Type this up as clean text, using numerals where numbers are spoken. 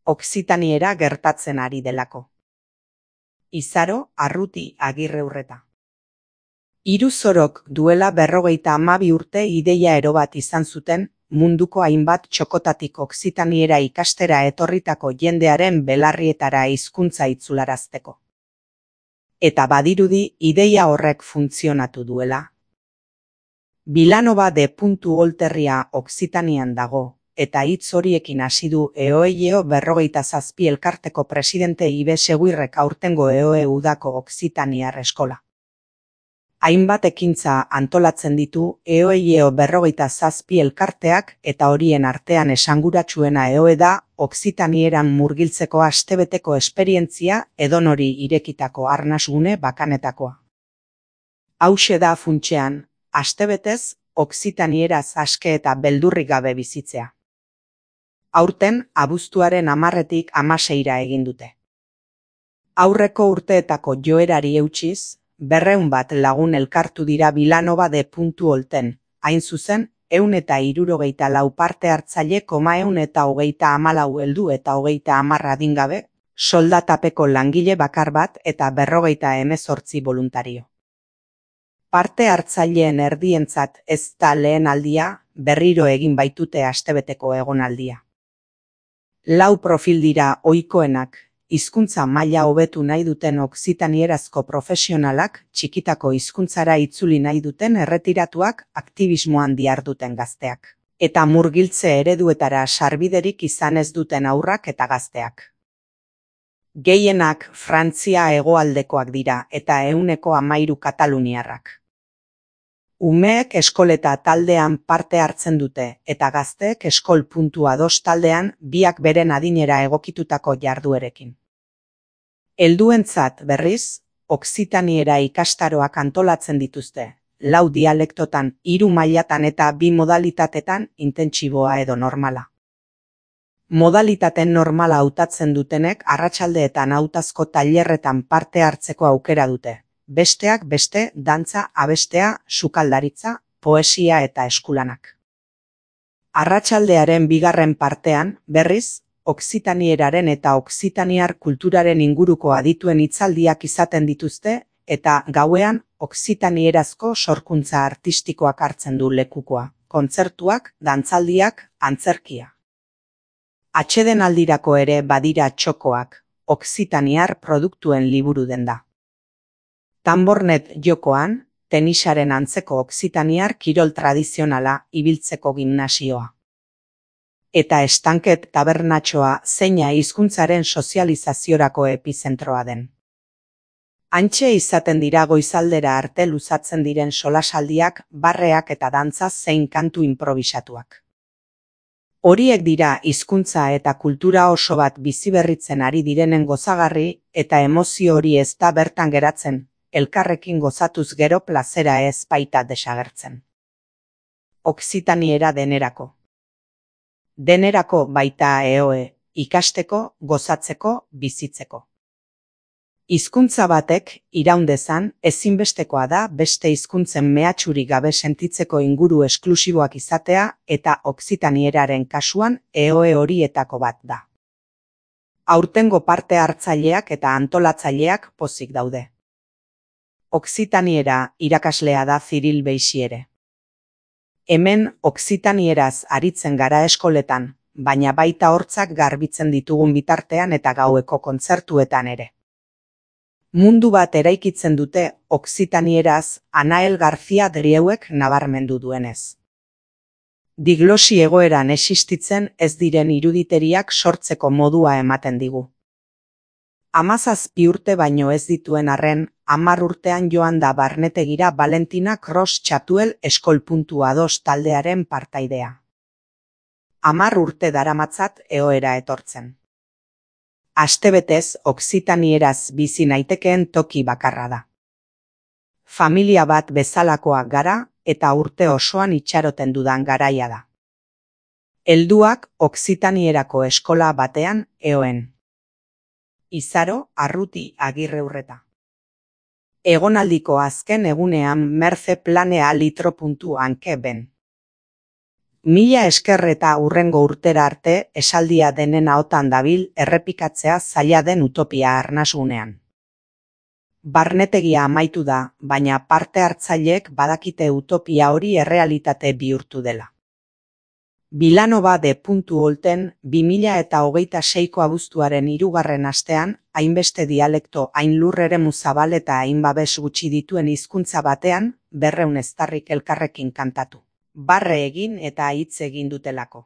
Okzitaniera gertatzen ari delako. Izaro Arruti Agirreurreta. Iruzorok duela 52 urte ideia ero bat izan zuten, munduko hainbat txokotatik okzitaniera ikastera etorritako jendearen belarrietara hizkuntza itzularazteko. Eta badirudi ideia horrek funtzionatu duela. Vilanova de Olterria Okzitanian dago, eta hitz horiekin hasi du EOEO 47 elkarteko presidente Ibe Seguirrek aurtengo EOE udako okzitaniar eskola. Hainbat ekintza antolatzen ditu EOEO 47 elkarteak eta horien artean esanguratsuena EOE da okzitanieran murgiltzeko astebeteko esperientzia edonori irekitako arnasgune bakanetakoa. Hauxe da funtsean, astebetez okzitanieraz aske eta beldurrik gabe bizitzea. Aurten abuztuaren 10-tik 16 egin dute. Aurreko urteetako joerari eutsiz, 200 bat lagun elkartu dira Vilanova de Olten, hain zuzen, 164 parte hartzaile, 134 heldu eta 30 adingabe, soldatapeko langile bakar bat eta 58 boluntario. Parte hartzaileen erdientzat ez da lehen aldia, berriro egin baitute astebeteko egonaldia. 4 profil dira ohikoenak, hizkuntza maila hobetu nahi duten okzitanierazko profesionalak, txikitako hizkuntzara itzuli nahi duten erretiratuak, aktivismoan diharduten gazteak, eta murgiltze ereduetara sarbiderik izan ez duten haurrak eta gazteak. Gehienak Frantzia hegoaldekoak dira eta 13 kataluniarrak. Umeek eskoleta taldean parte hartzen dute eta gazteek eskol.2 taldean, biak beren adinera egokitutako jarduerekin. Helduentzat berriz, okzitaniera ikastaroak antolatzen dituzte, 4 dialektotan, 3 mailatan eta 2 modalitatetan, intentsiboa edo normala. Modalitaten normala hautatzen dutenek arratsaldeetan hautazko tailerretan parte hartzeko aukera dute. Besteak beste, dantza, abestea, sukaldaritza, poesia eta eskulanak. Arratsaldearen 2. partean, berriz, okzitanieran eta okzitaniar kulturaren inguruko adituen hitzaldiak izaten dituzte, eta gauean, okzitanierazko sorkuntza artistikoak hartzen du lekukoa, kontzertuak, dantzaldiak, antzerkia. Atsedenaldirako ere badira txokoak, okzitaniar produktuen liburu denda. Tambornet jokoan, tenisaren antzeko okzitaniar kirol tradizionala, ibiltzeko gimnasioa. Eta estanket tabernatxoa zeina hizkuntzaren sozializaziorako epizentroa den. Hantxe izaten dira goizaldera arte luzatzen diren solasaldiak, barreak eta dantza zein kantu inprobisatuak. Horiek dira hizkuntza eta kultura oso bat biziberritzen ari direnen gozagarri eta emozio hori ez da bertan geratzen, elkarrekin gozatuz gero plazera ez baita desagertzen. Okzitaniera denerako. Denerako baita EOE, ikasteko, gozatzeko, bizitzeko. Hizkuntza batek, iraun dezan, ezinbestekoa da beste hizkuntzen mehatxurik gabe sentitzeko inguru esklusiboak izatea eta okzitaneraren kasuan EOE horietako bat da. Aurtengo parte hartzaileak eta antolatzaileak pozik daude. Okzitaniera irakaslea da Ziril Beixiere. Hemen okzitanieraz aritzen gara eskoletan, baina baita hortzak garbitzen ditugun bitartean eta gaueko kontzertuetan ere. Mundu bat eraikitzen dute okzitanieraz Anael García Drieuek nabarmendu duenez. Diglosi egoeran existitzen ez diren iruditeriak sortzeko modua ematen digu. 17 urte baino ez dituen arren, 10 urtean joan da barnetegira Valentina Cross Chatuel eskol.2 taldearen partaidea. 10 urte daramatzat EOEra etortzen. Astebetez okzitanieraz bizi naitekeen toki bakarra da. Familia bat bezalakoak gara eta urte osoan itxaroten dudan garaia da. Helduak okzitanerako eskola batean EOEn. Izaro Arruti Agirreurreta. Egonaldiko azken egunean Merce planea litro.anke ben. Mila esker eta hurrengo urtera arte esaldia denen ahotan dabil errepikatzea zaila den utopia arnasunean. Barnetegia amaitu da, baina parte hartzaileek badakite utopia hori errealitate bihurtu dela. Vilanova de Olten 2026ko abuztuaren 3. astean, hainbeste dialekto, hain lur eremu zabal eta hain babes gutxi dituen hizkuntza batean, 200 eztarrik elkarrekin kantatu. Barre egin eta hitz egin dutelako.